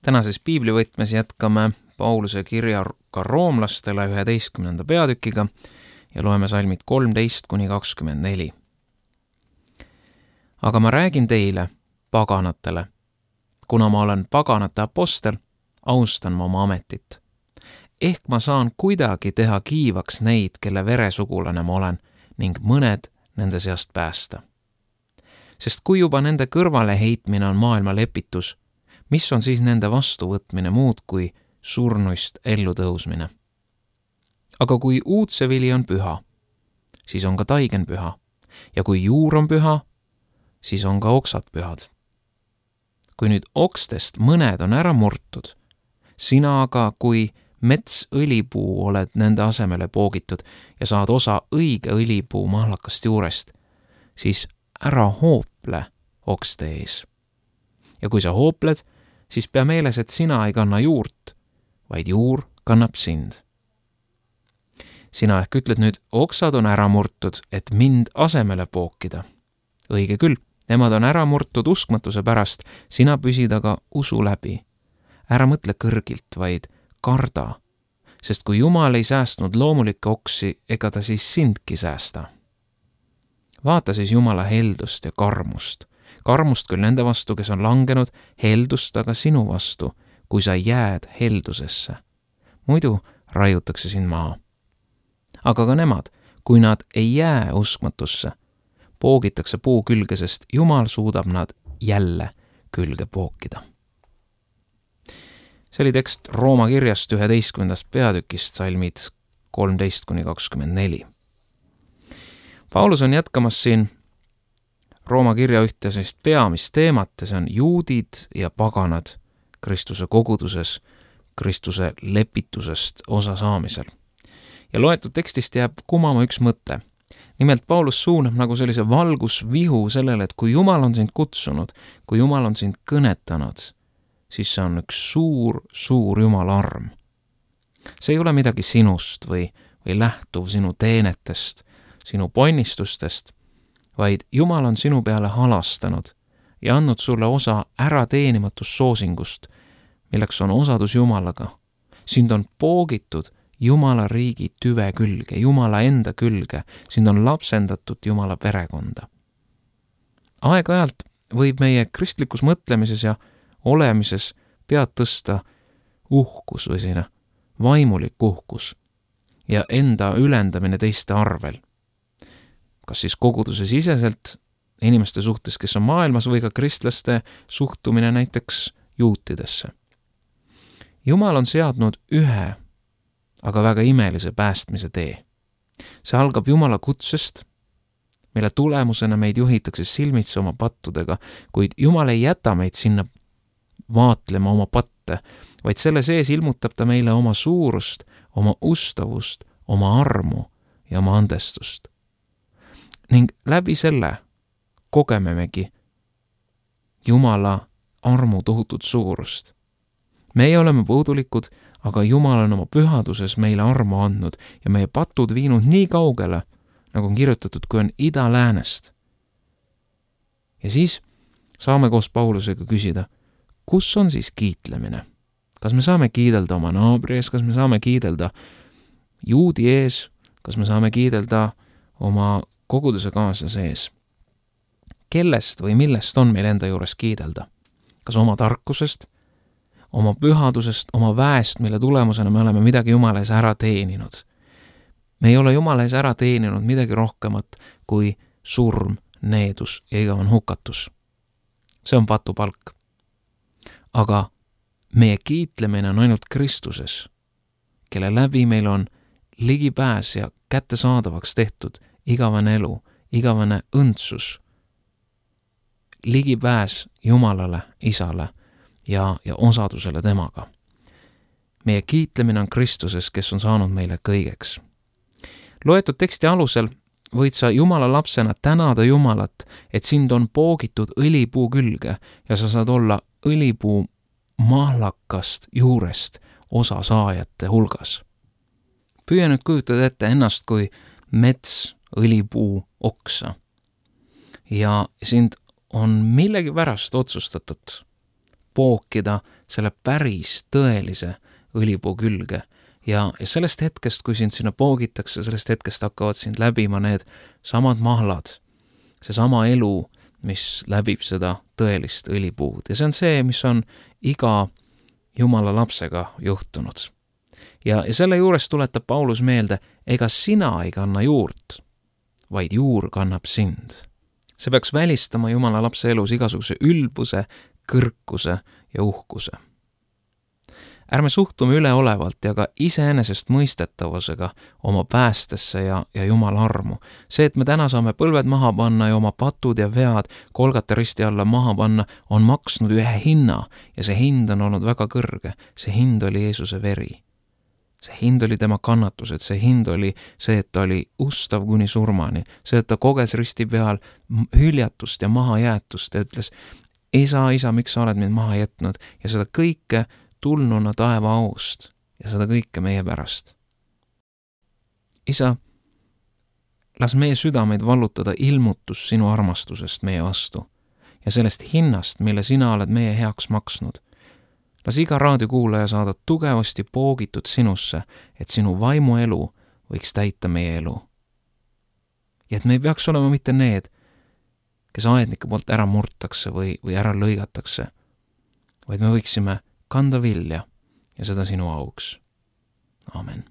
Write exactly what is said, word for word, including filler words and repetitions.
Tänases piiblivõtmes jätkame Pauluse kirjaga roomlastele üheteistkümnenda peatükiga ja loeme salmid kolmteist kuni kakskümmend neli. Aga ma räägin teile, paganatele, kuna ma olen paganate apostel, austan ma oma ametit. Ehk ma saan kuidagi teha kiivaks neid, kelle veresugulane ma olen, ning mõned nende seast päästa. Sest kui juba nende kõrvale heitmine on maailma lepitus, mis on siis nende vastuvõtmine muud kui surnuist ellu tõusmine? Aga kui uudsevili on püha, siis on ka taigen püha, ja kui juur on püha, siis on ka oksad pühad. Kui nüüd okstest mõned on ära murtud, sina aga kui mets õlipuu oled nende asemele poogitud ja saad osa õige õlipuu mahlakast juurest, siis ära hoople okste ees. Ja kui sa hoopled, siis pea meeles, et sina ei kanna juurt, vaid juur kannab sind. Sina ehk ütled nüüd, oksad on ära murtud, et mind asemele pookida. Õige küll, nemad on ära murtud uskmatuse pärast, sina püsid aga usu läbi. Ära mõtle kõrgilt, vaid karda, sest kui Jumal ei säästnud loomulikke oksi, ega ta siis sindki säästa. Vaata siis Jumala heldust ja karmust. Karmust küll nende vastu, kes on langenud, heldust aga sinu vastu, kui sa jääd heldusesse. Muidu raiutakse sind maha. Aga ka nemad, kui nad ei jää uskmatusse, poogitakse puu külge, sest Jumal suudab nad jälle külge pookida. See oli tekst Rooma kirjast üheteistkümnendast peatükist, salmid kolmteist kuni kakskümmend neli. Paulus on jätkamas siin Rooma kirja ühte sellist peamist teemat, ja see on juudid ja paganad Kristuse koguduses, Kristuse lepitusest osa saamisel. Ja loetud tekstist jääb kumama üks mõte. Nimelt Paulus suunab nagu sellise valgusvihu sellele, et kui Jumal on sind kutsunud, kui Jumal on sind kõnetanud, siis see on üks suur, suur Jumala arm. See ei ole midagi sinust või, või lähtuv sinu teenetest, sinu ponnistustest, vaid Jumal on sinu peale halastanud ja andnud sulle osa ärateenimatust soosingust, milleks on osadus Jumalaga. Sind on poogitud Jumala riigi tüve külge, Jumala enda külge, sind on lapsendatud Jumala perekonda. Aeg-ajalt võib meie kristlikus mõtlemises ja olemises pead tõsta uhkus või selline vaimulik uhkus ja enda ülendamine teiste arvel. Kas siis koguduse siseselt inimeste suhtes, kes on maailmas, või ka kristlaste suhtumine näiteks juutidesse. Jumal on seadnud ühe, aga väga imelise päästmise tee. See algab Jumala kutsest, mille tulemusena meid juhitakse silmitsi oma pattudega, kuid Jumal ei jäta meid sinna vaatlema oma patte, vaid selle sees ilmutab ta meile oma suurust, oma ustavust, oma armu ja oma andestust. Ning läbi selle kogememegi Jumala armu tohutut suurust. Meie oleme puudulikud, aga Jumal on oma pühaduses meile armu andnud ja meie patud viinud nii kaugele, nagu on kirjutatud, kui on ida läänest. Ja siis saame koos Paulusega küsida, kus on siis kiitlemine? Kas me saame kiidelda oma naabri ees, kas me saame kiidelda juudi ees, kas me saame kiidelda oma koguduse kaaslase ees? Kellest või millest on meil enda juures kiidelda? Kas oma tarkusest, oma pühadusest, oma väest, mille tulemusena me oleme midagi Jumala ees ära teeninud? Me ei ole Jumala ees ära teeninud midagi rohkemat kui surm, needus ja igavan hukatus. See on patupalk. Aga meie kiitlemine on ainult Kristuses, kelle läbi meil on ligipääs ja kättesaadavaks tehtud igavene elu, igavene õndsus, ligipääs Jumalale, Isale ja, ja osadusele temaga. Meie kiitlemine on Kristuses, kes on saanud meile kõigeks. Loetud teksti alusel võid sa Jumala lapsena tänada Jumalat, et sind on poogitud õlipuu külge ja sa saad olla õlipuu mahlakast juurest osa saajate hulgas. Püüa nüüd kujutada ette ennast kui mets, õlipuu, oksa. Ja sind on millegi pärast otsustatud pookida selle päris tõelise õlipuu külge. Ja, ja sellest hetkest, kui sind sinna poogitakse, sellest hetkest hakkavad sind läbima need samad mahlad, see sama elu, mis läbib seda tõelist õlipuud. Ja see on see, mis on iga Jumala lapsega juhtunud. Ja, ja selle juures tuletab Paulus meelde, ega sina ei kanna juurt, vaid juur kannab sind. See peaks välistama Jumala lapse elus igasuguse ülbuse, kõrkuse ja uhkuse. Ärme suhtume üleolevalt ja ka iseenesest mõistetavusega oma päästesse ja, ja Jumala armu. See, et me täna saame põlved maha panna ja oma patud ja vead Kolgata risti alla maha panna, on maksnud ühe hinna ja see hind on olnud väga kõrge. See hind oli Jeesuse veri. See hind oli tema kannatused, see hind oli see, et ta oli ustav kuni surmani, see, et ta koges risti peal hüljatust ja mahajäetust ja ütles, isa, isa, miks sa oled mind maha jätnud ja seda kõike tulnuna taeva aust ja seda kõike meie pärast. Isa, las meie südameid vallutada ilmutus sinu armastusest meie vastu ja sellest hinnast, mille sina oled meie heaks maksnud. Las iga raadiokuulaja saada tugevasti poogitud sinusse, et sinu vaimu elu võiks täita meie elu. Ja et me ei peaks olema mitte need, kes aednike poolt ära murtakse või, või ära lõigatakse, vaid me võiksime kanda vilja ja seda sinu auks. Amen.